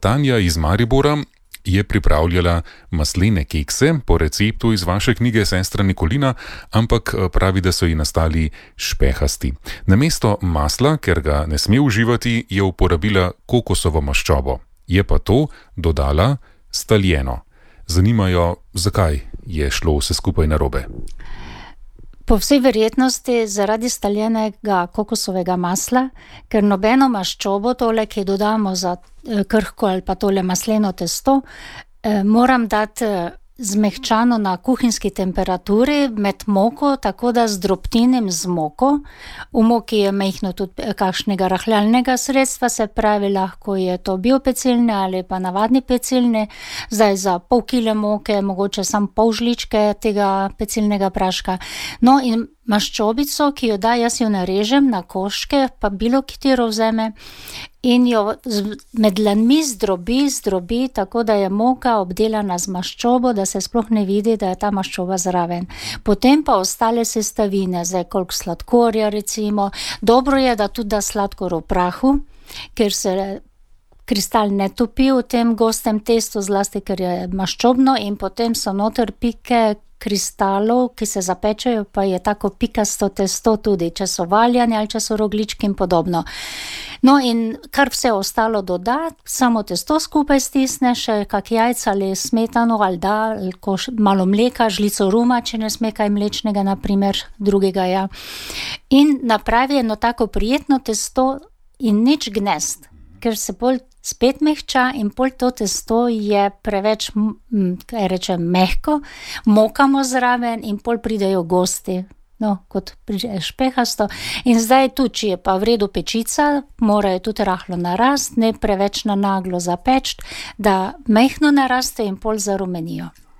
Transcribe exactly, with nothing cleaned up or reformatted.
Tanja iz Maribora je pripravljala maslene kekse po receptu iz vaše knjige Sestra Nikolina, ampak pravi, da so ji nastali špehasti. Namesto masla, ker ga ne sme uživati, je uporabila kokosovo maščobo. Je pa to dodala staljeno. Zanimajo, zakaj je šlo vse skupaj narobe. Po vsej verjetnosti zaradi staljenega kokosovega masla, ker nobeno maščobo, tole, ki dodamo za krhko ali pa tole masleno testo, moram dati zmehčano na kuhinjski temperaturi med moko, tako da zdrobtinim z moko. V moki je majhno tudi kakšnega rahljalnega sredstva, se pravi, lahko je to biopecilne ali pa navadni pecilne. Zdaj za pol kile moke, mogoče samo pol žličke tega pecilnega praška. No in maščobico, ki jo da, jaz jo narežem na koščke, pa bilo katero vzeme in jo med dlanmi zdrobi, zdrobi, tako da je moka obdelana z maščobo, da se sploh ne vidi, da je ta maščoba zraven. Potem pa ostale sestavine, zdaj koliko sladkorja recimo. Dobro je, da tudi da sladkor v prahu, ker se kristal ne topi v tem gostem testu, zlasti ker je maščobno, in potem so noter pike kristalov, ki se zapečejo, pa je tako pikasto testo tudi, če so valjani ali če so rogljički in podobno. No in kar vse ostalo doda, samo testo skupaj stisne, še kak jajca ali smetano ali da, ali malo mleka, žlico ruma, če ne sme kaj mlečnega, naprimer, drugega, ja. In napravi eno tako prijetno testo in nič gnezd, ker se bolj spet mehča in pol to testo je preveč, kaj rečem, mehko, mokamo zraven in pol pridejo gosti, no, kot špehasto. In zdaj tu, če je pa v redu pečica, morajo tudi rahlo narast, ne preveč na naglo zapečt, da mehno naraste in pol zarumenijo.